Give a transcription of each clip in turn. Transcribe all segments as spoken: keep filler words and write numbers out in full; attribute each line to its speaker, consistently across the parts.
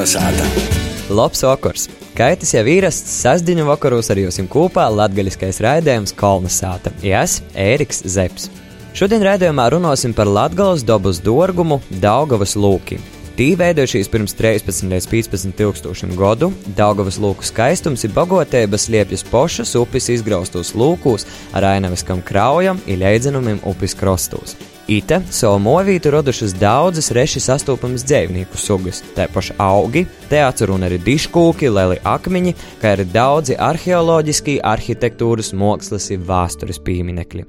Speaker 1: Kalnasāta.
Speaker 2: Labs vakars! Kaitis jau īrasts sestdiņu vakaros ar jums kopā latgaļiskais raidījums Kalnasāta. Es, Ēriks Zepes. Šodien raidījumā runāsim par Latgales dabas dārgumu Daugavas lūki. Tī veidojušies pirms trīspadsmit līdz piecpadsmit tūkstošiem gadu. Daugavas lūku skaistums ir bagotības liepjas pošas upes izgraustos lūkūs ar ainaviskam kraujam i leidzenumiem upes krostos. Ite savu movītu radušas daudzas reši sastopamas dzēvnieku sugas, tāpaši augi, te atcerun arī diškūki, leli akmeņi, kā arī daudzi arheoloģiski, arhitektūras, mākslas i vēstures pieminekļi.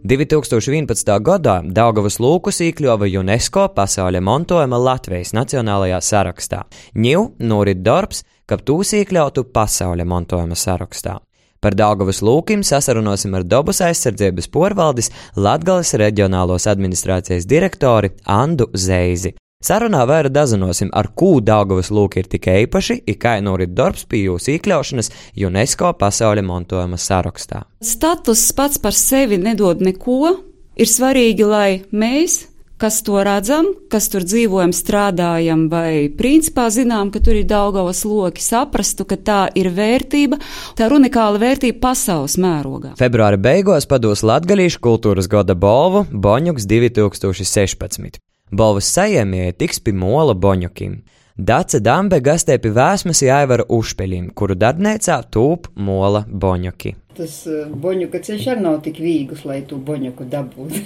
Speaker 2: divi tūkstoši vienpadsmitā gadā Daugavas lūkus iekļuva UNESCO pasaules mantojuma Latvijas nacionālajā sarakstā. Ņiv norit darbs, ka tūs iekļautu pasaules mantojuma sarakstā. Par Daugavas lūkim sasarunosim ar dabas aizsardzības porvaldes Latgales reģionālos administrācijas direktori Andu Zeizi. Sarunā vaira dazinosim, ar kū Daugavas lūki ir tik īpaši, i kā norit darbs pie jūs iekļaušanas UNESCO pasaules mantojuma sarakstā.
Speaker 3: Status pats par sevi nedod neko. Ir svarīgi, lai mēs, kas to redzam, kas tur dzīvojam, strādājam vai principā zinām, ka tur ir Daugavas loki, saprastu, ka tā ir vērtība, tā ir unikāla vērtība pasaules mērogā.
Speaker 2: Februāra beigās pados Latgalīšu kultūras gada balvu Boņuks divi tūkstoši sešpadsmit. Balvas saņēmēji tiks pie mola Boņukim. Dace Dambe gastē pie vēsmas Aivara Ušpeļim, kuru darbnīcā tūp mola Boņuki.
Speaker 4: Tas uh, Boņuka ceļš arī nav tik vīgus, lai tu Boņuku dabūtu.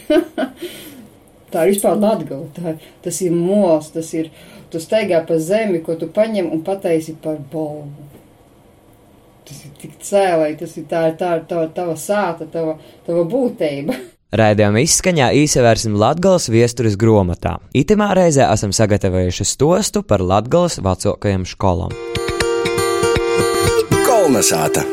Speaker 4: Tā ir vispār Latgala, tā, tas ir mols, tas ir, tu staigā pa zemi, ko tu paņem un pataisi par balvu. Tas ir tik cēlai, tas ir tā, tā, tā, tava sāta, tava, tava būtība.
Speaker 2: Raidījuma izskaņā īsavērsim Latgales viesturis gromatā. Itimā reizē esam sagatavojuši stostu par Latgales vecākajām školām.
Speaker 1: Kalnasāta.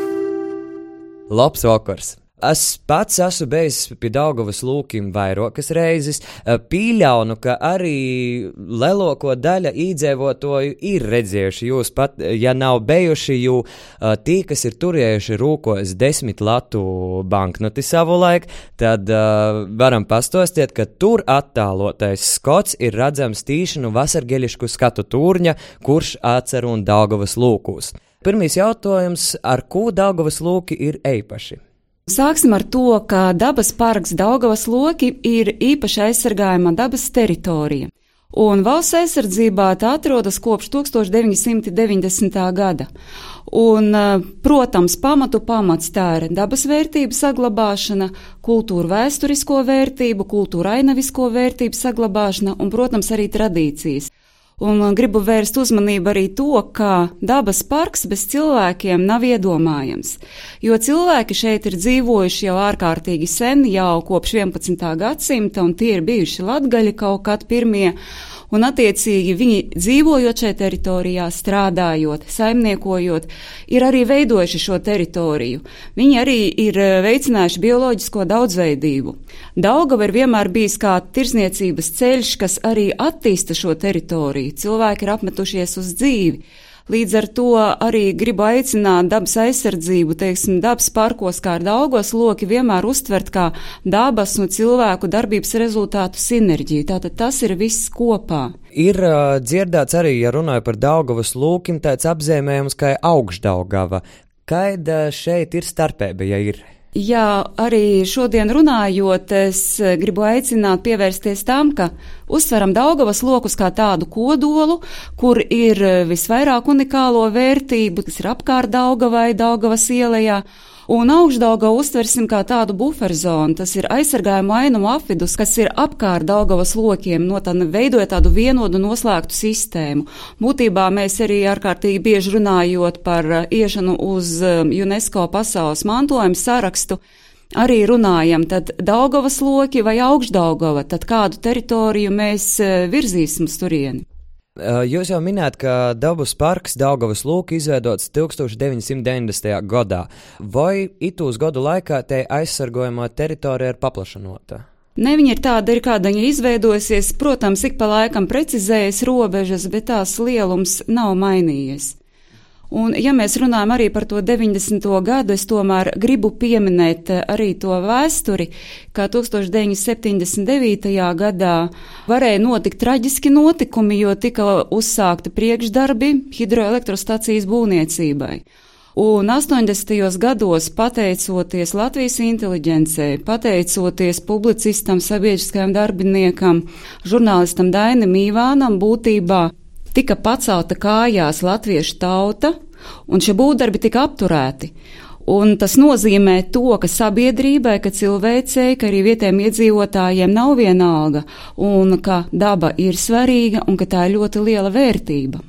Speaker 2: Labs vakars! Es pats esmu bijis pie Daugavas lūkiem vairākas reizes. Pīļaunu, ka arī lielāko daļa iedzīvotāju ir redzējuši jūs pat, ja nav bijuši, jo tī, kas ir turējuši rūkos desmit latu banknoti savulaik, tad uh, varam pastostiet, ka tur attālotais skots ir redzams tīšanu vasargeļišku skatu turņa, kurš atcer un Daugavas lūkūs. Pirmīs jautājums, ar ko Daugavas lūki ir eipaši?
Speaker 3: Sāksim ar to, ka dabas parks Daugavas loki ir īpaši aizsargājama dabas teritorija, un valsts aizsardzībā tā atrodas kopš tūkstoš deviņi simti deviņdesmitā gada. Un, protams, pamatu pamats tā ir dabas vērtību saglabāšana, kultūra vēsturisko vērtību, kultūra ainavisko vērtību saglabāšana un, protams, arī tradīcijas. Un gribu vērst uzmanību arī to, ka dabas parks bez cilvēkiem nav iedomājams, jo cilvēki šeit ir dzīvojuši jau ārkārtīgi sen, jau kopš vienpadsmitā gadsimta, un tie ir bijuši latgaļi kaut kad pirmie, un attiecīgi viņi dzīvojot šajā teritorijā, strādājot, saimniekojot, ir arī veidojuši šo teritoriju. Viņi arī ir veicinājuši bioloģisko daudzveidību. Daugava ir vienmēr bijis kā tirsniecības ceļš, kas arī attīsta šo teritoriju. Cilvēki ir apmetušies uz dzīvi. Līdz ar to arī gribu aicināt dabas aizsardzību, teiksim, dabas parkos kā ar Daugavas loki vienmēr uztvert kā dabas un cilvēku darbības rezultātu sinerģiju. Tātad tas ir viss kopā.
Speaker 2: Ir uh, dzirdēts arī, ja runāju par Daugavas lūkim, tāds apzīmējums kā Augšdaugava. Kāda šeit ir starpība, ja ir?
Speaker 3: Jā, arī šodien runājot, es gribu aicināt pievērsties tam, ka uztveram Daugavas lokus kā tādu kodolu, kur ir visvairāk unikālo vērtību, kas ir apkārt Daugavai, Daugavas ielejā, un Augšdaugavu uztversim kā tādu buferzonu, tas ir aizsargājumu ainumu apvidus, kas ir apkārt Daugavas lokiem, no tā veidoja tādu vienodu noslēgtu sistēmu. Būtībā mēs arī ārkārtīgi bieži runājot par iešanu uz UNESCO pasaules mantojuma sarakstu, arī runājam, tad Daugavas loki vai Augšdaugava, tad kādu teritoriju mēs virzīsim uz turieni.
Speaker 2: Jūs jau minējat, ka dabas parks Daugavas lūki izveidots tūkstoš deviņi simti deviņdesmitajā gadā. Vai itūs gadu laikā te aizsargojamā teritorija ir paplašanota?
Speaker 3: Ne, viņa ir tāda, ir kāda viņa izveidojusies, protams, ik pa laikam precizējas robežas, bet tās lielums nav mainījies. Un, ja mēs runājam arī par to deviņdesmito gadu, es tomēr gribu pieminēt arī to vēsturi, kā tūkstoš deviņsimt septiņdesmit devītajā gadā varēja notikt traģiski notikumi, jo tika uzsākti priekšdarbi hidroelektrostacijas būvniecībai. Un astoņdesmitajos gados, pateicoties Latvijas inteliģencei, pateicoties publicistam, sabiedriskajam darbiniekam, žurnālistam Dainim Īvānam, būtībā tika pacelta kājās latviešu tauta, un šie būvdarbi tika apturēti. Un tas nozīmē to, ka sabiedrībai, ka cilvēcei, ka arī vietējiem iedzīvotājiem nav vienalga, un ka daba ir svarīga, un ka tā ir ļoti liela vērtība.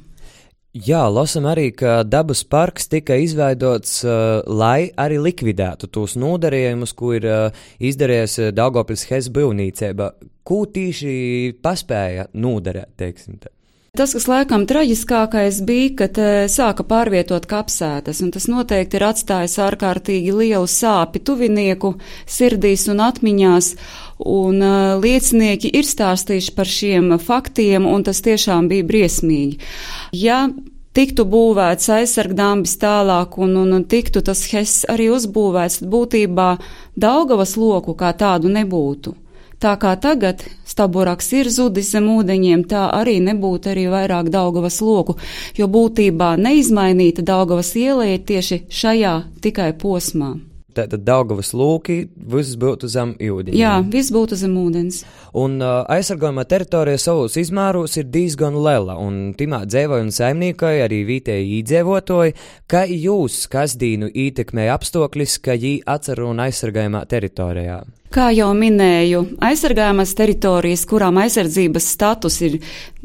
Speaker 2: Jā, lasam arī, ka dabas parks tika izveidots, uh, lai arī likvidētu tos nodarījumus, ko ir uh, izdarījis Daugavpils Hes būvniecība. Ko tīši paspēja nodarēt, teiksim tā?
Speaker 3: Tas, kas laikam traģiskākais bija, kad sāka pārvietot kapsētas, un tas noteikti ir atstājis ārkārtīgi lielu sāpi tuvinieku sirdīs un atmiņās, un uh, liecinieki ir stāstījuši par šiem faktiem, un tas tiešām bija briesmīgi. Ja tiktu būvēts aizsargdambis tālāk, un, un, un tiktu tas Hess arī uzbūvēts, tad būtībā Daugavas loku kā tādu nebūtu. Tā kā tagad Staburaks ir zudis zem ūdeņiem, tā arī nebūtu arī vairāk Daugavas loku, jo būtībā neizmainīta Daugavas iela ir tieši šajā tikai posmā.
Speaker 2: Tātad Daugavas lūki, viss būtu zem ūdeņiem.
Speaker 3: Jā, viss būtu zem ūdens.
Speaker 2: Un uh, aizsargājumā teritorija savos izmēros ir diezgan liela, un timā dzēvoja un saimniekoja arī vietēji īdzīvotoji. Kā jūs kasdīnu ietekmēja apstākļus, ka jī atcer un aizsargājumā teritorijā?
Speaker 3: Kā jau minēju, aizsargājumās teritorijas, kurām aizsardzības status ir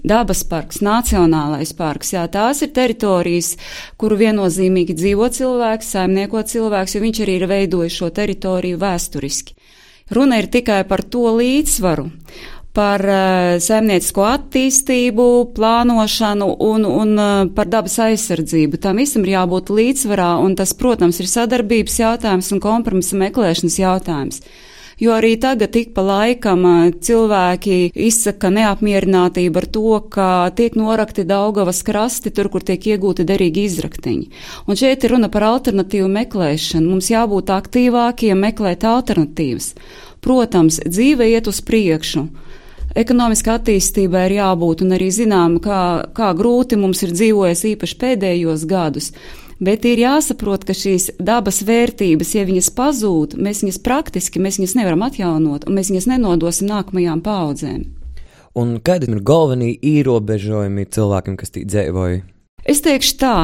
Speaker 3: dabas parks, nacionālais parks, jā, tās ir teritorijas, kuru viennozīmīgi dzīvo cilvēks, saimnieko cilvēks, jo viņš arī ir veidojis šo teritoriju vēsturiski. Runa ir tikai par to līdzsvaru, par uh, saimniecisko attīstību, plānošanu un, un uh, par dabas aizsardzību. Tam visam ir jābūt līdzsvarā, un tas, protams, ir sadarbības jautājums un kompromisa meklēšanas jautājums. Jo arī tagad tik pa laikam cilvēki izsaka neapmierinātību ar to, ka tiek norakti Daugavas krasti tur, kur tiek iegūti derīgi izraktiņi. Un šeit ir runa par alternatīvu meklēšanu. Mums jābūt aktīvākiem, meklēt alternatīvas. Protams, dzīve iet uz priekšu. Ekonomiska attīstībai ir jābūt, un arī zinām, kā, kā grūti mums ir dzīvojies īpaši pēdējos gadus. Bet ir jāsaprot, ka šīs dabas vērtības, ja viņas pazūd, mēs viņas praktiski, mēs viņas nevaram atjaunot, un mēs viņas nenodosim nākamajām paaudzēm.
Speaker 2: Un kādi ir galvenie ierobežojumi cilvēkiem, kas tī dzīvoja?
Speaker 3: Es teikšu tā,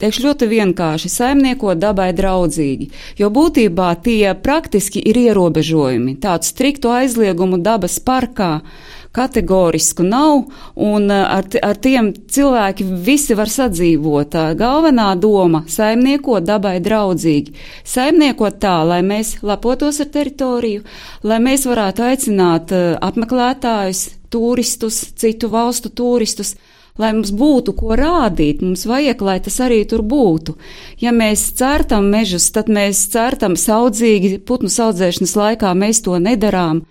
Speaker 3: teikšu ļoti vienkārši, saimniekot dabai draudzīgi, jo būtībā tie praktiski ir ierobežojumi. Tādu striktu aizliegumu dabas parkā kategorisku nav, un ar, ar tiem cilvēki visi var sadzīvot. Galvenā doma - saimniekot dabai draudzīgi. Saimniekot tā, lai mēs lepotos ar teritoriju, lai mēs varētu aicināt apmeklētājus, turistus, citu valstu turistus, lai mums būtu ko rādīt, mums vajag, lai tas arī tur būtu. Ja mēs cērtam mežus, tad mēs cērtam saudzīgi, putnu saudzēšanas laikā mēs to nedarām.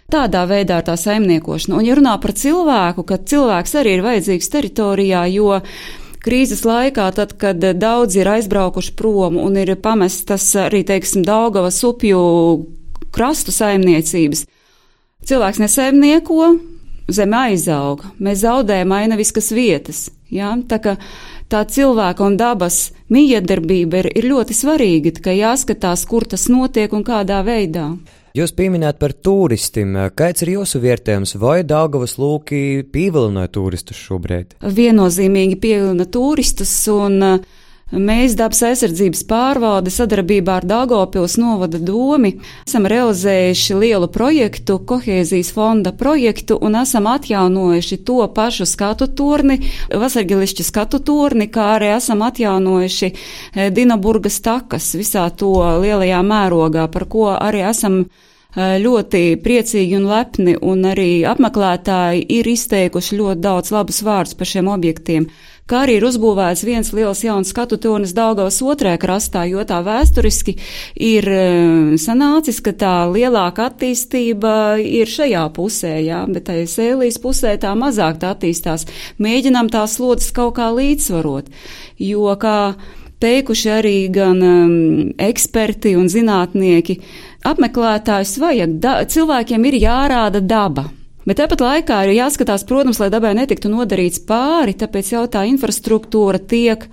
Speaker 3: Tādā veidā ir tā saimniekošana. Un ja runā par cilvēku, kad cilvēks arī ir vajadzīgs teritorijā, jo krīzes laikā, tad, kad daudzi ir aizbraukuši prom un ir pamestas arī, teiksim, Daugavas upju krastu saimniecības, cilvēks nesaimnieko, zeme aizauga. Mēs zaudējam ainaviskas vietas. Ja? Tā kā tā cilvēka un dabas mijiedarbība ir, ir ļoti svarīga, tikai jāskatās, kur tas notiek un kādā veidā.
Speaker 2: Jūs pieminējāt par turistiem. Kāds ir jūsu vērtējums, vai Daugavas lūki pievilināja turistus šobrīd?
Speaker 3: Viennozīmīgi pievilina turistus, un mēs dabas aizsardzības pārvalde sadarbībā ar Daugavpils novada domi esam realizējuši lielu projektu, kohēzijas fonda projektu, un esam atjaunojuši to pašu skatu torni, Vasargilišķa skatu torni, kā arī esam atjaunojuši Dinaburgas takas visā to lielajā mērogā, par ko arī esam ļoti priecīgi un lepni, un arī apmeklētāji ir izteikuši ļoti daudz labus vārdus par šiem objektiem. Kā arī ir uzbūvēts viens liels jauns skatu tornis Daugavas otrajā krastā, jo tā vēsturiski ir sanācis, ka tā lielāka attīstība ir šajā pusē, jā, bet tai Sēlijas pusē tā mazāk tā attīstās. Mēģinām tās slodzes kaut kā līdzsvarot, jo, kā teikuši arī gan um, eksperti un zinātnieki, apmeklētājs vajag, da, cilvēkiem ir jārāda daba. Bet tāpat laikā ir jāskatās, protams, lai dabai netiktu nodarīts pāri, tāpēc jau tā infrastruktūra tiek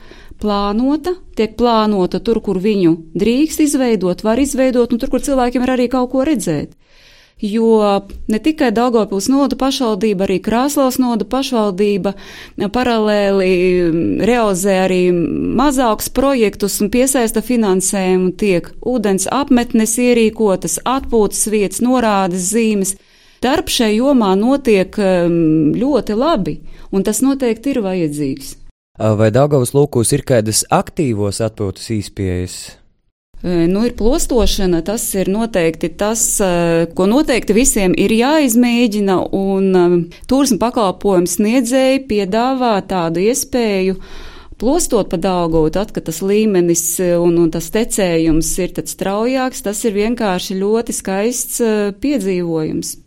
Speaker 3: plānota, tiek plānota tur, kur viņu drīkst izveidot, var izveidot, un tur, kur cilvēkiem ir arī kaut ko redzēt. Jo ne tikai Daugavpils novada pašvaldība, arī Krāslavas novada pašvaldība paralēli realizē arī mazākus projektus un piesaista finansējumu, tiek ūdens apmetnes ierīkotas, atpūtas vietas, norādes zīmes. Darbs šai jomā notiek ļoti labi, un tas noteikti ir vajadzīgs.
Speaker 2: Vai Daugavas lūkos ir kādas aktīvos atpūtas īspējas?
Speaker 3: Nu, ir plostošana, tas ir noteikti tas, ko noteikti visiem ir jāizmēģina, un turisma pakalpojums sniedzēji piedāvā tādu iespēju plostot pa Daugavu, tad, kad tas līmenis un, un tas tecējums ir tad straujāks, tas ir vienkārši ļoti skaists piedzīvojums.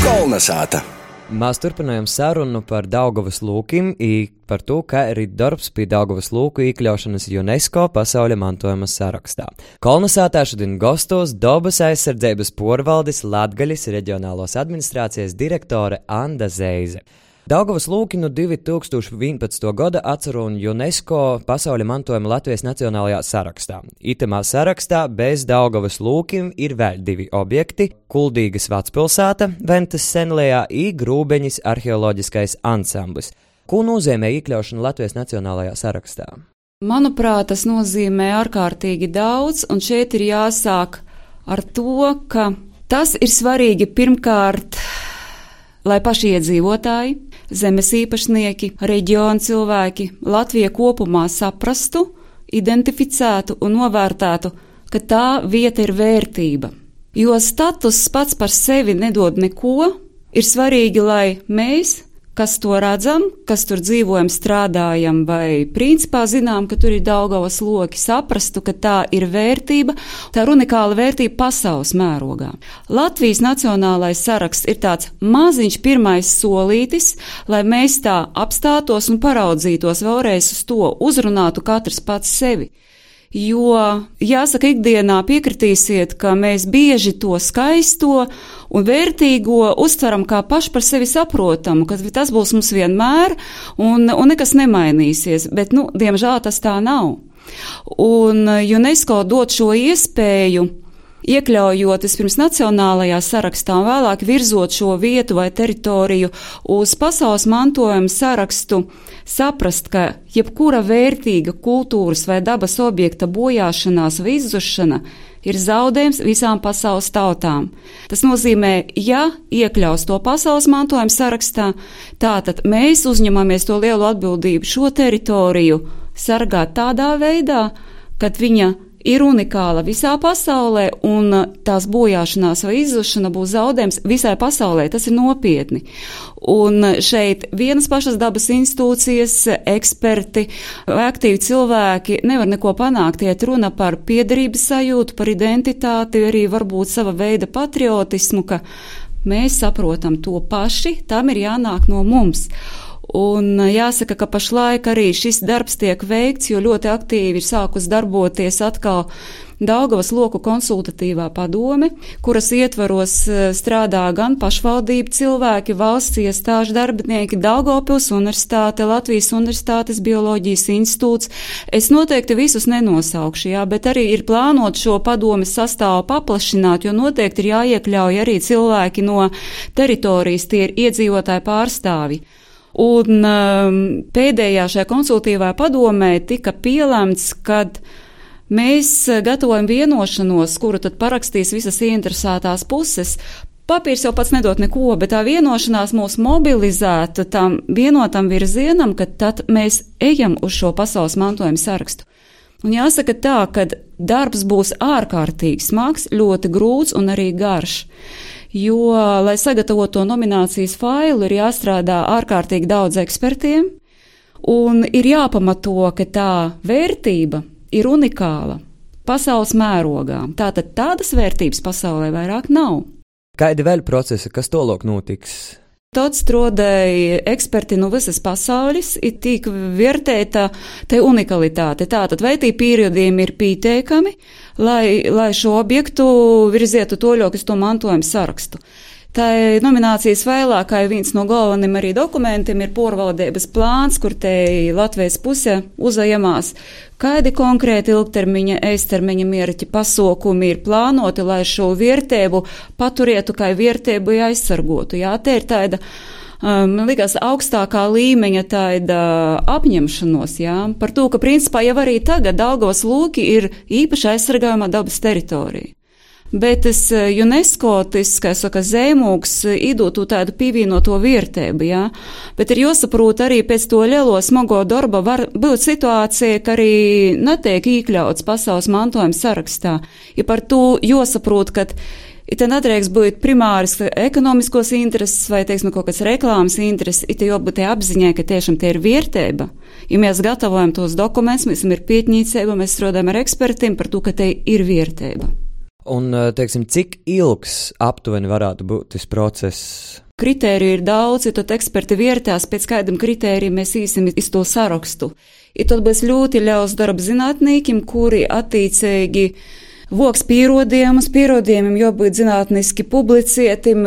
Speaker 1: Kolnesāta.
Speaker 2: Mēs turpinājām sarunu par Daugavas lūkiem i par to, kā ir darbs pie Daugavas lūku iekļaušanas UNESCO pasaules mantojuma sarakstā. Kolnesātā šodien gastos Dabas aizsardzības porvaldes Latgaļas reģionālās administrācijas direktore Anda Zeize. Daugavas lūki no divi tūkstoši vienpadsmitā gada atcer un UNESCO pasaules mantojuma Latvijas nacionālajā sarakstā. Itamā sarakstā bez Daugavas lūkiem ir vēl divi objekti – Kuldīgas vecpilsēta, Ventas senlējā i Grūbeņas arheoloģiskais ansamblis. Ko nozīmē iekļaušana Latvijas nacionālajā sarakstā?
Speaker 3: Manuprāt, tas nozīmē ārkārtīgi daudz, un šeit ir jāsāk ar to, ka tas ir svarīgi pirmkārt, lai paši iedzīvotāji, zemes īpašnieki, reģiona cilvēki, Latvija kopumā saprastu, identificētu un novērtētu, ka tā vieta ir vērtība. Jo status pats par sevi nedod neko, ir svarīgi, lai mēs, kas to redzam, kas tur dzīvojam, strādājam vai principā zinām, ka tur ir Daugavas loki, saprastu, ka tā ir vērtība, tā ir unikāla vērtība pasaules mērogā. Latvijas nacionālais saraksts ir tāds maziņš pirmais solītis, lai mēs tā apstātos un paraudzītos vēlreiz uz to, uzrunātu katrs pats sevi. Jo, jāsaka, ikdienā piekritīsiet, ka mēs bieži to skaisto un vērtīgo uztveram kā paši par sevi saprotamu, ka tas būs mums vienmēr un, un nekas nemainīsies, bet, nu, diemžēl tas tā nav. Un UNESCO dod šo iespēju, iekļaujot vispirms nacionālajā sarakstā un vēlāk virzot šo vietu vai teritoriju uz pasaules mantojuma sarakstu, saprast, ka jebkura vērtīga kultūras vai dabas objekta bojāšanās vai izzušana ir zaudējums visām pasaules tautām. Tas nozīmē, ja iekļaus to pasaules mantojuma sarakstā, tātad mēs uzņemamies to lielu atbildību šo teritoriju sargāt tādā veidā, kad viņa ir unikāla visā pasaulē, un tās bojāšanās vai izzušana būs zaudējums visai pasaulē. Tas ir nopietni. Un šeit vienas pašas dabas institūcijas, eksperti, aktīvi cilvēki nevar neko panākt. Iet runa par piederības sajūtu, par identitāti, arī varbūt sava veida patriotismu, ka mēs saprotam to paši, tam ir jānāk no mums. Un jāsaka, ka pašlaik arī šis darbs tiek veikts, jo ļoti aktīvi ir sākus darboties atkal Daugavas loku konsultatīvā padome, kuras ietvaros strādā gan pašvaldību cilvēki, valsts iestāžu darbinieki, Daugavpils universitāte, Latvijas universitātes bioloģijas institūts. Es noteikti visus nenosaukšu, jā, bet arī ir plānot šo padomes sastāvu paplašināt, jo noteikti ir jāiekļauj arī cilvēki no teritorijas, tie ir iedzīvotāji pārstāvi. Un um, pēdējā šajā konsultīvā padomē tika pielēmts, kad mēs gatavojam vienošanos, kuru tad parakstīs visas ieinteresētās puses. Papīrs jau pats nedod neko, bet tā vienošanās mūs mobilizētu tam vienotam virzienam, ka tad mēs ejam uz šo pasaules mantojuma sarakstu. Un jāsaka tā, ka darbs būs ārkārtīgi smags, ļoti grūts un arī garš. Jo, lai sagatavotu to nominācijas failu, ir jāstrādā ārkārtīgi daudz ekspertiem, un ir jāpamato, ka tā vērtība ir unikāla pasaules mērogā. Tātad tādas vērtības pasaulē vairāk nav.
Speaker 2: Kādi vēl procesi, kas tolok notiks?
Speaker 3: Tad strādāja eksperti no visas pasaules, ir tik vērtēta te unikalitāte. Tātad vai tī periodiem ir pieteikami, lai, lai šo objektu virzietu toļok uz to mantojumu sarakstu. Tā nominācijas failā, kā viens no galveniem arī dokumentiem, ir porvaldības plāns, kur te Latvijas puse uzajamās, kādi konkrēti ilgtermiņa, eistermiņa mērķi pasaukumi ir plānoti, lai šo vērtību paturētu, kā vērtību aizsargotu. Jā, te ir tāda, man um, likās, augstākā līmeņa tāda apņemšanos, jā, par to, ka principā jau arī tagad Daugavas lūki ir īpaši aizsargājumā dabas teritorija. Bet tas UNESCO, tas, kā saka, zīmogs, iedod tādu pievienoto vērtību, jā. Bet ir jāsaprot arī pēc to lielo smago darba var būt situācija, ka arī netiek iekļauts pasaules mantojuma sarakstā. Ja par to jāsaprot, ka it te nedrīkst būt primāris ekonomiskos intereses vai, teiksim, kaut kāds reklāmas intereses, it te jābūt te apziņai, ka tiešām te ir vērtība. Ja mēs gatavojam tos dokumentus, mēs ir pietņīcība, mēs strādājam ar ekspertiem par to, ka te ir vērtība.
Speaker 2: Un, teiksim, cik ilgs aptuveni varētu būt tas process?
Speaker 3: Kritēriju ir daudz, ja tad eksperti vērtās, pēc kādam kritēriju mēs īsim iz to sarakstu. Ja tad būs ļoti ļaus darba zinātnīkim, kuri attiecīgi voks pierodījumus, pierodījumiem jābūt zinātniski publicētim.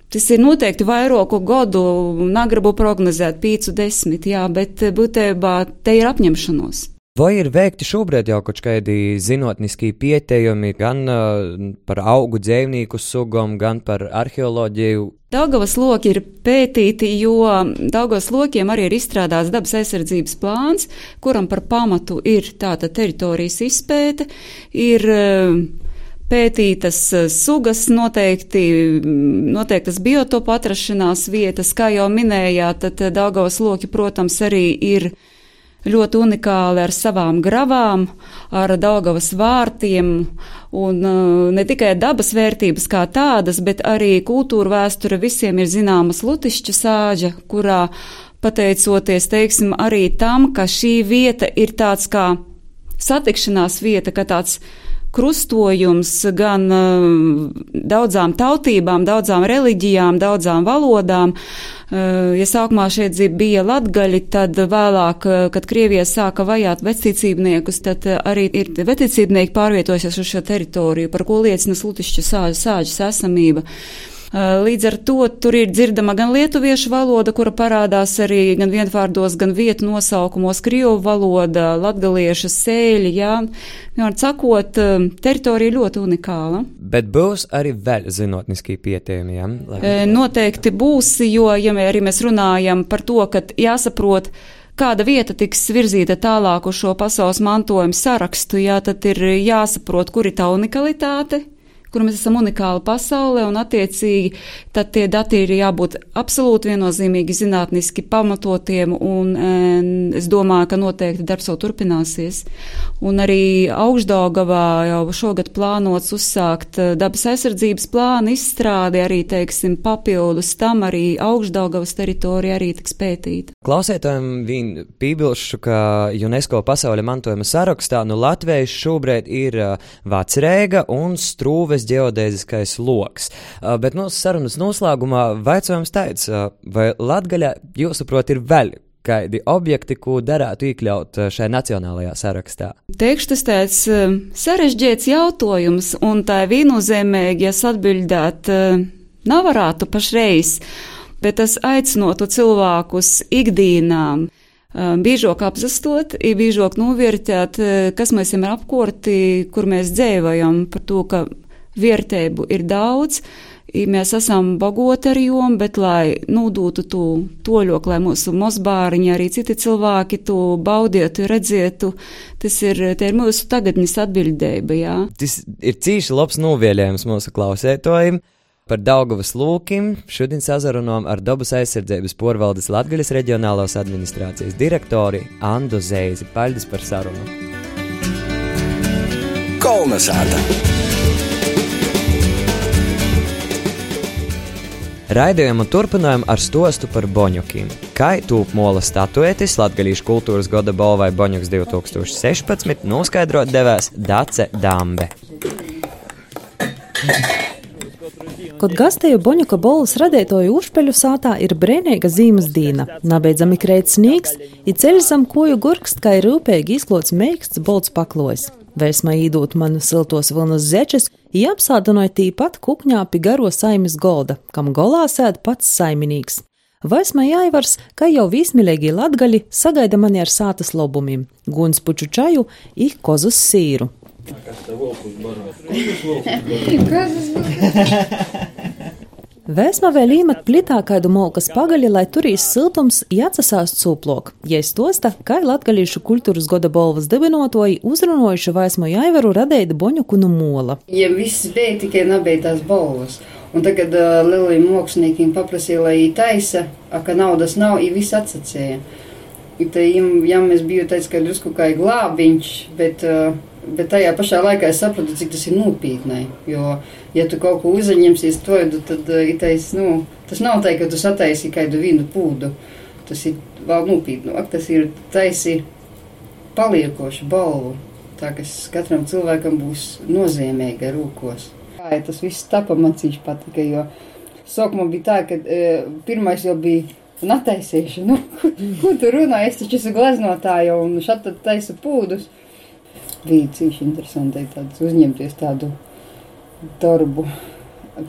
Speaker 3: Tas ir noteikti vairāku gadu, negribu prognozēt pīcu desmit, jā, bet būtībā te ir apņemšanos.
Speaker 2: Vai ir veikti šobrīd jau kaut kādi zinātniski pētījumi gan uh, par augu dzīvnieku sugām, gan par arheoloģiju?
Speaker 3: Daugavas loki ir pētīti, jo Daugavas lokiem arī ir izstrādāts dabas aizsardzības plāns, kuram par pamatu ir tāda teritorijas izpēte, ir uh, pētītas sugas, noteikti, noteiktas biotopu atrašanās vietas, kā jau minējāt, tad Daugavas loki, protams, arī ir ļoti unikāli ar savām gravām, ar Daugavas vārtiem, un uh, ne tikai dabas vērtības kā tādas, bet arī kultūra vēsture visiem ir zināmas Lutišķa sāģa, kurā pateicoties, teiksim, arī tam, ka šī vieta ir tāds kā satikšanās vieta, ka tāds krustojums gan uh, daudzām tautībām, daudzām reliģijām, daudzām valodām. Uh, ja sākumā šeit bija latgaļi, tad vēlāk, uh, kad Krievija sāka vajāt vecticībniekus, tad uh, arī ir vecticībnieki pārvietojušies uz šo teritoriju, par ko liecina Lutišķa sāģes, sāģes esamība. Līdz ar to tur ir dzirdama gan lietuviešu valoda, kura parādās arī gan vienvārdos, gan vietu nosaukumos, krievu valoda, latgaliešu sēļi, jā. Vienmēr sakot, teritorija ļoti unikāla.
Speaker 2: Bet būs arī vēl zinātniski pētījumi, jā? Lai...
Speaker 3: Noteikti būs, jo, ja arī mēs runājam par to, ka jāsaprot, kāda vieta tiks virzīta tālāk uz šo pasaules mantojumu sarakstu, jā, tad ir jāsaprot, kur ir tā unikalitāte, kur mēs esam unikāli pasaulē, un attiecīgi tad tie dati ir jābūt absolūti viennozīmīgi zinātniski pamatotiem, un en, es domāju, ka noteikti darbs jau turpināsies. Un arī Augšdaugavā jau šogad plānots uzsākt dabas aizsardzības plānu izstrādi, arī, teiksim, papildus tam arī Augšdaugavas teritorija arī tiks pētīta.
Speaker 2: Klausētājiem vien pībilšu, ka UNESCO pasaules mantojuma sarakstā no Latvijas šobrīd ir Vecrēga un Strūves ģeodēziskais loks. Uh, bet mūsu sarunas noslēgumā vaicājums tāds, uh, vai Latgaļā, jūsuprāt, ir vēl kādi objekti, ko darētu iekļaut šajā nacionālajā sarakstā?
Speaker 3: Teikšu, tas tāds uh, sarežģīts jautājums, un tā viennozīmīgi, ja atbildēt, uh, nevarētu pašreiz, bet tas aicinotu cilvēkus ikdienām uh, biežāk apzastot, biežāk novērtēt, uh, kas mēs esam apkorti, kur mēs dzīvojam, par to, ka vērtību ir daudz, mēs esam bagoti ar jom, bet lai nodūtu to toļok, lai mūsu mozbāriņi, arī citi cilvēki to baudietu, redzētu, tas ir, te ir mūsu tagadnis atbildība, jā.
Speaker 2: Tas ir cīši labs novēlējums mūsu klausētojiem. Par Daugavas lūkim šodien sazarunām ar dabas aizsardzības porvaldes Latgaļas reģionālās administrācijas direktori Andu Zeizi. Paldies par sarunu!
Speaker 1: Kolnesāta.
Speaker 2: Raidījumu turpinājam ar stostu par boņukiem. Kai tūp mola statuetis Latgalīšu kultūras goda balvai Boņuks divi tūkstoši sešpadsmit noskaidrot devēs Dace Dambe.
Speaker 5: Kod gastēju Boņuka bolas radētoju Ušpeļu sātā ir brēneiga zīmes dīna. Nabeidzami kreit snīgs, i ceļš zam koju gurkst, kā ir rūpēgi izklots meiksts bolts paklojs. Vēsmā īdūt man siltos vilnas zečes, i apsādinoja tīpat kukņā pi garo saimis golda, kam golā sēd pats saiminīgs. Vaismā jāivars, ka jau vīsmilēgī latgali sagaida mani ar sātas lobumim, guns puču čaju i kozus sīru.
Speaker 6: Kas te volkus barot?
Speaker 4: Kozus barot.
Speaker 5: Vēsmā vēl īmat plitā kaidu molkas pagaļi, lai turīs siltums i atsasāst sūplok. Jei stosta, kai Latgalīšu kultūras goda bolvas dibinotoji uzrunojuši Vaismu Jaivaru radēja Boņuku nu mola.
Speaker 4: Ja viss bija, tikai nebija tās bolvas. Un tagad uh, lielajiem māksliniekiem paprasīja, lai viņi taisa, a, ka naudas nav, viņi viss atsacēja. I te, ja mēs biju teicis, ka drusku kā glābiņš, bet... Uh, Bet tajā pašā laikā es sapratu, cik tas ir nopietnai, jo, ja tu kaut ko uzņemsies toidu, tad itais, nu, tas nav tā, ka tu sataisi kādu vīnu pūdu. Tas ir vēl nopietnāk, tas ir taisi paliekošu balvu, tā, kas katram cilvēkam būs nozīmīga rūkos. Jā, tas viss tapa man cīši patika, jo sākumā bija tā, ka e, pirmais jau bija nataisīšu, nu, ko, ko tu runā, es taču esmu gleznotāja un šat tad taisa pūdus. Bija cīši interesanti tāds uzņemties tādu darbu,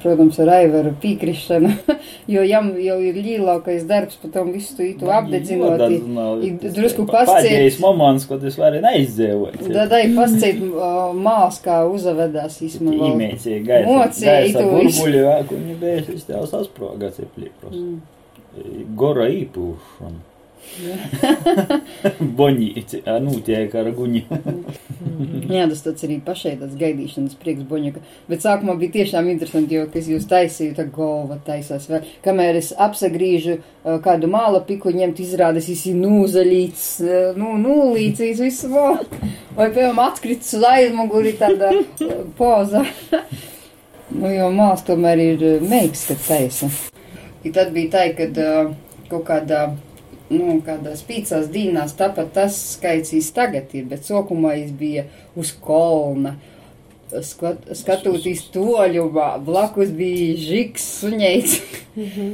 Speaker 4: protams, ar Aivaru pīkrišanu, jo jam jau ir lielākais darbs, pa tom visu tu apdedzinot, i drusku pasciet.
Speaker 6: Pādējais moments, kad es vari neizdzēvot.
Speaker 4: Dadai pasciet mās, kā uzavedās īsma vēl.
Speaker 6: Īmēcija gaisa, gaisa burbuļi, kuņi bēs, es tev sasproga ciplī prosti. Gora īpūšana. Boņīci, nu tiek ar guņi.
Speaker 4: Jā, tas tāds arī pašai tāds gaidīšanas prieks Boņuka. Bet sākumā bija tiešām interesanti, jo, kas jūs taisīju, tā galva taisās vēl. Kamēr es apsagrīžu kādu māla piku ņemt, izrādas visi nūzaļīts, nu, nūlīcīs, visu vēl. Vai, piemēram, atkrits uz aizmuguri tāda poza. Nu, jo māls tomēr ir meiks, kad taisa. I tad bija tā, kad kaut kādā nu, kādās pīcās dīnās, tāpat tas skaicīs tagad ir, bet sokumā es bija uz kolna, skat, skatūtīs toļumā, blakus bija žiks, suņeits. Mm-hmm.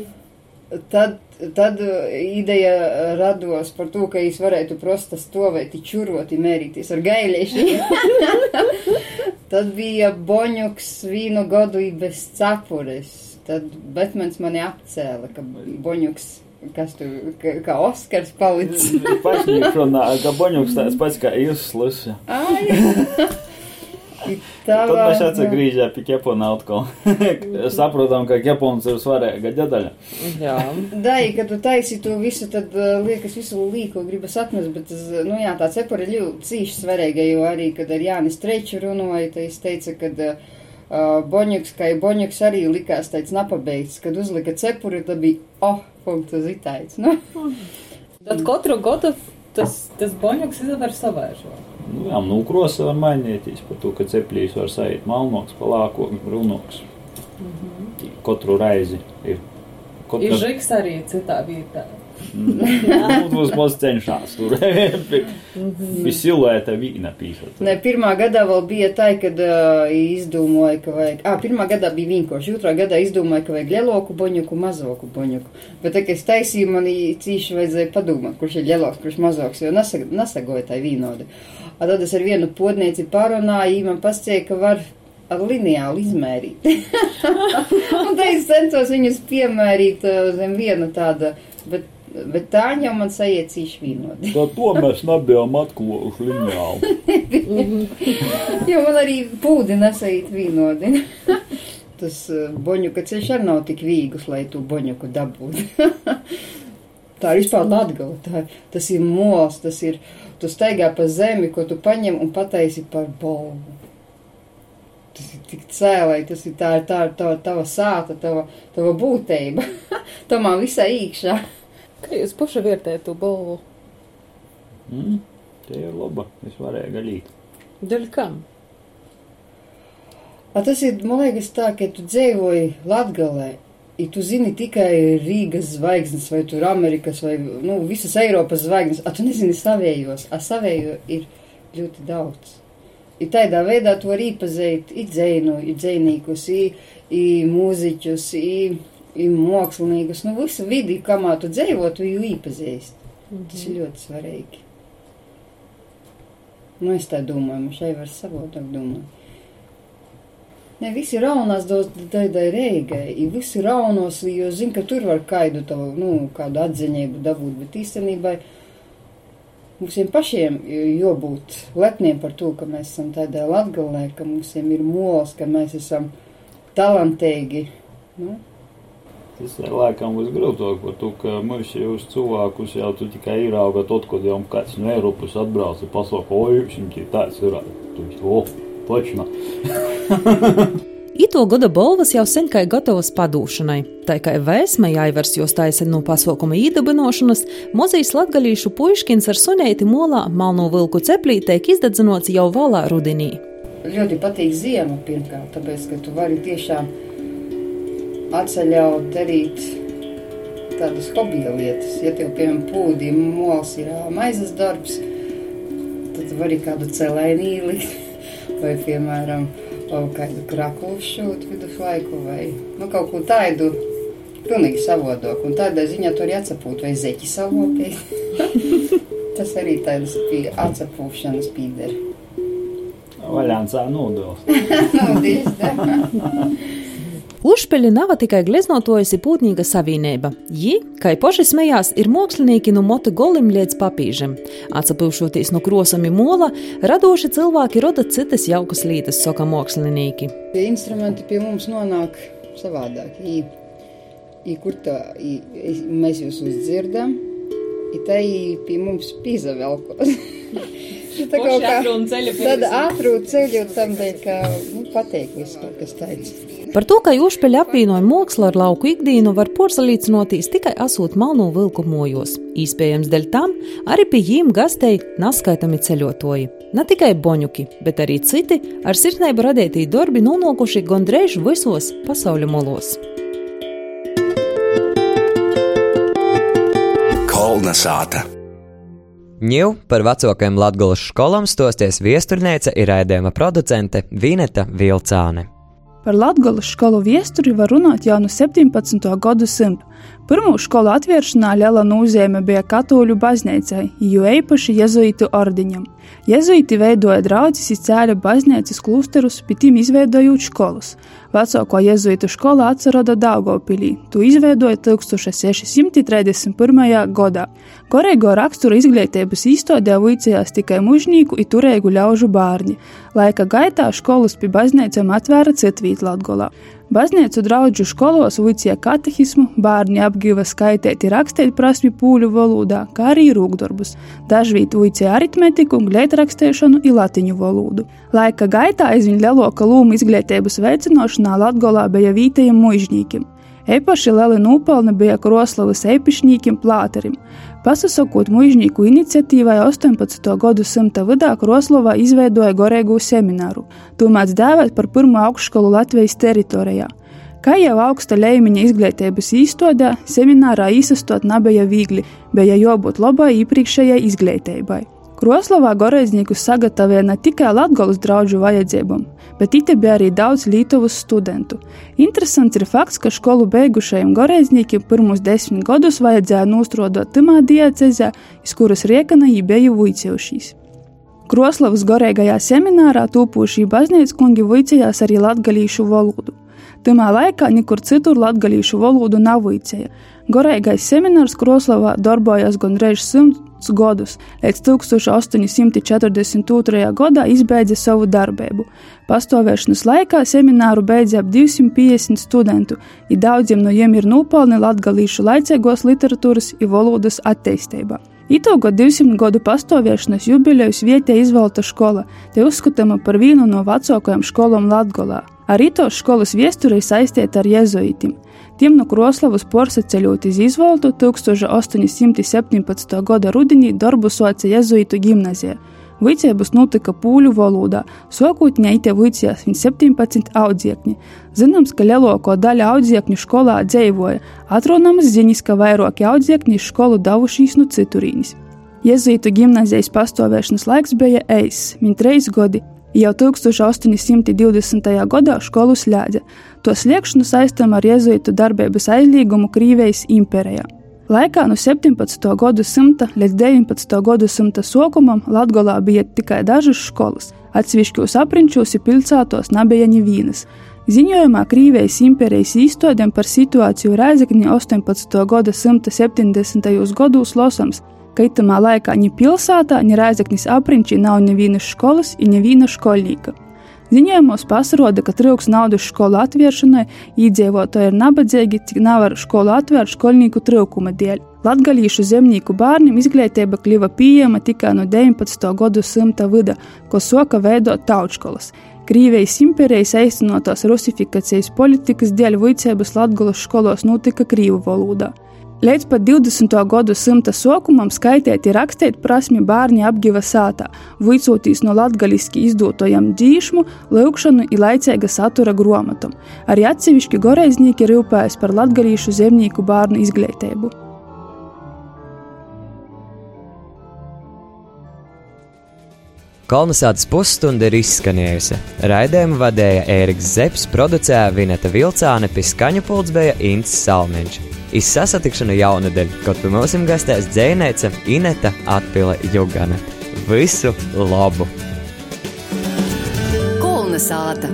Speaker 4: tad, tad ideja rados par to, ka es varētu prosta stovēt, čurot, mērīties ar gaiļiešiem. Tad bija Boņuks vīnu godu bez cepures. Tad Betmens mani apcēla, ka Boņuks kas tu, kā, kā Oskars palicis.
Speaker 6: Pašņīk runā, ka Boņuks tāds pats kā jūs slusi. Tad mēs atsagrīžā pie Kepona atkal. Saprotam, ka Kepons ir svarīga ģedaļa.
Speaker 5: Jā.
Speaker 4: Dai, kad tu taisi to visu, tad liekas visu līko gribas atmest, bet, nu jā, tā cepura ir ļoti cīši svarīga, jo arī, kad ar Jānis Streču runāja, tad es teica, kad uh, Boņuks, kā Boņuks arī likās tāds napabeigts, kad uzlika cepuri, tad bija, oh, punktu zitāits, nu.
Speaker 5: Tad katru godu tas, tas Boņuks izvar savaižo.
Speaker 6: Nu, jā, nu, krosa var mainīties par to, ka ceplīs var sajūt malnoks, palākoks, brūnoks. Mm-hmm. Katru reizi ir. Kotra...
Speaker 5: Ir žiks arī citā vietā.
Speaker 6: Nu, būs mums cenšās tur. Pie siluēta vīna pīšot.
Speaker 4: Ne, pirmā gadā vēl bija tā, kad uh, izdomāja, ka vajag... Ā, pirmā gadā bija vienkārši, otrā gadā izdomāja, ka vajag lieloku Boņuku, mazoku Boņuku. Bet tā, ka es taisīju, man cīši vajadzēja padomāt, kurš ir lieloks, kurš mazoks, jo nesag, nesagoja tā vīnodi. A tad es ar vienu podnieci parunāju, man pascēja, ka var ar lineāli izmērīt. Un tā es centos viņus piemērīt zem viena tāda, bet, bet tā jau man sajiet cīši vīnodi.
Speaker 6: Tā to mēs nebijām atklojuši lineāli.
Speaker 4: Jo man arī pūdi nesajiet vīnodi. Tas Boņuka ceļš arī nav tik vīgus, lai tu Boņuku dabūtu. Tā ir vispār Latgala, tā, tas ir mols, tas ir, tu staigā pa zemi, ko tu paņem un pataisi par bolvu. Tas ir tik cēlai, tas ir tā, tā, tā, tava sāta, tava, tava būtība. Tā man visā īkšā.
Speaker 5: Kā jūs paši vērtējat to bolvu?
Speaker 6: Mm, tie ir laba, es varēju galīt.
Speaker 5: Daļ kam?
Speaker 4: A tas ir, man liekas, tā, ka tu dzīvoji Latgalē, ja tu zini tikai Rīgas zvaigznes, vai tur Amerikas, vai, nu, visas Eiropas zvaigznes, a tu nezini savējos, a savējo ir ļoti daudz. I tādā veidā tu vari īpazēt i dzēnu, i dzēnīkus, i, i mūziķus, i, i mākslinieks, nu, visu vidi, kamā tu dzīvo, tu jau īpazēst. Mm-hmm. Tas ir ļoti svarīgi. Nu, es tā domāju, man šai var savādāk domāt. Ne, visi raunās tādai Reigai, i visi raunos, jo zin, ka tur var kaidu tavu, nu, kādu atziņību dabūt, bet īstenībā mums pašiem jābūt lepniem par to, ka mēs esam tādā Latgalē, ka mums ir mols, ka mēs esam talantīgi, nu.
Speaker 6: Tas laikam būs grūtāk par to, ka mums jūs cilvēkus jau tu tikai ierauga tot, kad jau kāds no Eiropas atbrauc un pasaka, oi, jums ir tāds ir, tu o, točno.
Speaker 5: Ito goda bolvas jau sen kai gatavas padūšanai. Tā kā vēsme jāivers jos taisa no pasākuma īdabinošanas, mozīs latgalīšu puiškins ar suneiti molā Malno vilku ceplī teik izdedzinots jau valā rudenī.
Speaker 4: Ļoti patīk ziema pirmkārt, tāpēc, ka tu vari tiešām atceļaut darīt tādas hobija lietas. Ja tev, piemēram, pūdi mols ir maizes darbs, tad vari kādu celēnī likt. Vai, piemēram, kādu kraklu šūt viduslaiku, vai nu, kaut ko tādu pilnīgi savādāk. Un tādā ziņā tu arī atsapūt vai zeķi savopēt. Tas arī tādas pie atsapūšanas pīderi.
Speaker 6: Vaļāncā nūdils.
Speaker 4: Nūdils, da.
Speaker 5: Užpeļi nav tikai gleznotojas i pūtnīga savīneiba. Ji, kai poši smejās, ir mokslinieki no mota golim līdz papīžem. Atsapilšoties no krosam i mola, radoši cilvēki roda citas jaukas lītas, soka mokslinieki.
Speaker 4: Tie instrumenti pie mums nonāk savādāk. I, i kur tā, i, i, mēs jūs uzdzirdam, i tā i pie mums pīzavelkos. Tā kaut kā tāda atrūt ceļu, tam dēļ, ka nu, pateik visu kaut kas tāds.
Speaker 5: Par to, ka Užpeļi apvienoja mokslu ar lauku ikdīnu, var porsalīcinotīs tikai asūt Malno vilku mojos. Īspējams dēļ tam arī pie jīm gastēji naskaitami ceļotoji. Ne tikai boņuki, bet arī citi ar sirsneibu radētī darbi nonākuši gondreiz visos pasauļa molos.
Speaker 1: Kolna sāta.
Speaker 2: Ņiv par vecākajām Latgolas školām stosties viesturnēca ir raidījuma producente Vineta Vilcāne.
Speaker 7: Par Latgolas školu viesturi var runāt jau no septiņpadsmito gadu simtu. Pirmū školu atvēršanā liela nozīme bija katoļu baznīcai, jo īpaši jezuītu ordiņam. Jezuīti veidoja draudzes i cēļa baznīcas klusterus, pie tiem izveidojot školas. Vecāko jezuītu škola atceroda Daugavpilī. Tu izveidoja tūkstoš seši simti trīsdesmit pirmajā gadā. Korīgo raksturu izglītības īstodē vicējās tikai mužnīku i turēgu ļaužu bārņi. Laika gaitā školas pie baznīcām atvēra citvīt Latgolā. Baznīcu draudžu školos vicēja katehismu, bārņi apgiva skaitēt i rakstēt prasmi pūļu valodā, kā arī rūkdarbus. Dažvīt vicēja aritmetiku, gleitrakstēšanu i latiņu valodu. Laika gaitā aizvien leloka lūma izglītības veicinošanā Latgolā bija vītajiem mužņīkim. Eipaši lieli nūpelni bija Kroslavas eipišņīkim plāterim. Pasasokot mužņīku iniciatīvai ostoņpadsmito gadu simta vidā Kroslavā izveidoja goreigu semināru. Tū mēdz dēvēt par pirmo augstskolu Latvijas teritorijā. Kā jau augsta leimiņa izglītības īstodē, seminārā īsastot nebija viegli, bija jābūt labai iepriekšējai izglītībai. Kroslavā goreizniekus sagatavoja ne tikai Latgolas draudžu vajadzībām, bet ite bija arī daudz Lītuvas studentu. Interesants ir fakts, ka školu beigušajiem goreizniekiem pirmus desmit gadus vajadzēja nostrodot timā diecezē, iz kuras riekana jī bija vuicējušīs. Kroslavas goreigajā seminārā tūpūšī baznīckungi vuicējās arī latgalīšu valodu. Timā laikā nikur citur latgalīšu valodu nav vuicēja. Goreigais seminārs Kroslavā darbojās gondreiz simts gadus, līdz tūkstoš astoņi simti četrdesmit otrajā gadā izbeidza savu darbību. Pastāvēšanas laikā semināru beidza ap divsimt piecdesmit studentu, i daudziem no jiem ir nūpelni latgalīšu laicīgos literatūras i valodas attīstībā. Itūgot divsimt gadu pastāvēšanas jubilejus vietē izvalta škola, te uzskatama par vienu no vecākajām školām Latgolā. Arī tos školas viesturei saistēta ar jezuītim. Tiem no Kroslavas porsaceļot iz izvaltu tūkstoš astoņi simti septiņpadsmito gada rudenī darbu soca jezuītu gimnazija. Vicēbus notika pūļu valodā, sokūtņā ite vicējās viņa septiņpadsmit audziekņi. Zināms, ka lielāko daļa audziekņu skolā dzeivoja, atrodamas ziņas, ka vairāki audziekņi iz skolu davušīs no citurīnis. Jezuītu gimnazijas pastāvēšanas laiks bija eiss, viņa treis godi. Jau tūkstoš astoņi simti divdesmitajā gadā skolu slēdza. To sliekšanu saistam ar jezuītu darbības aizliegumu Krīvijas imperijā. Laikā no septiņpadsmitā gadsimta līdz deviņpadsmitā gadsimta sākumam Latgolā bija tikai dažas skolas, atsevišķos aprinčos un pilsētos nebija nevienas. Ziņojumā Krīvijas imperijas īstodēm par situāciju Rēzekņi astoņpadsmitā gadsimta septiņdesmitajos gados losams, ka itamā laikā ni pilsētā, ni Rēzekņas aprinčī nav nevienas skolas un neviena školnīka. Ziņojumos pasiroda, ka trūks naudas skolu atvēršanai, iedzīvotāji ir nabadzīgi, cik nevar skolu atvērt školnīku trūkuma dēļ. Latgalīšu zemnieku bērniem izglītība kļuva pieejama tikai no deviņpadsmitā gadsimta vida, ko soka veidot tautškolas. Krīvijas imperijas īstenotās rusifikācijas politikas dēļ vicēbas Latgolas skolos notika krīvu valodā. Līdz pat divdesmitā gadsimta sākumam skaitēt un rakstīt prasmi bērni apgiva sātā, vicotīs no latgaliski izdotojam dzīšmu, lūkšanu un laicīga satura gromatom. Arī atsevišķi goreiznīki rūpējas par latgalīšu zemnieku bērnu izglītību.
Speaker 2: Kolnesātas pusstunda ir izskanējusi. Raidējumu vadēja Ēriks Zepes, producēja Vineta Vilcāne, pie skaņu pults bija Ints Salmiņš. Iz sasatikšanu jaunadēļ, kaut pie mums gastēs dzejneica Ineta Atpile Jugana. Visu labu!
Speaker 1: Kolnesāta!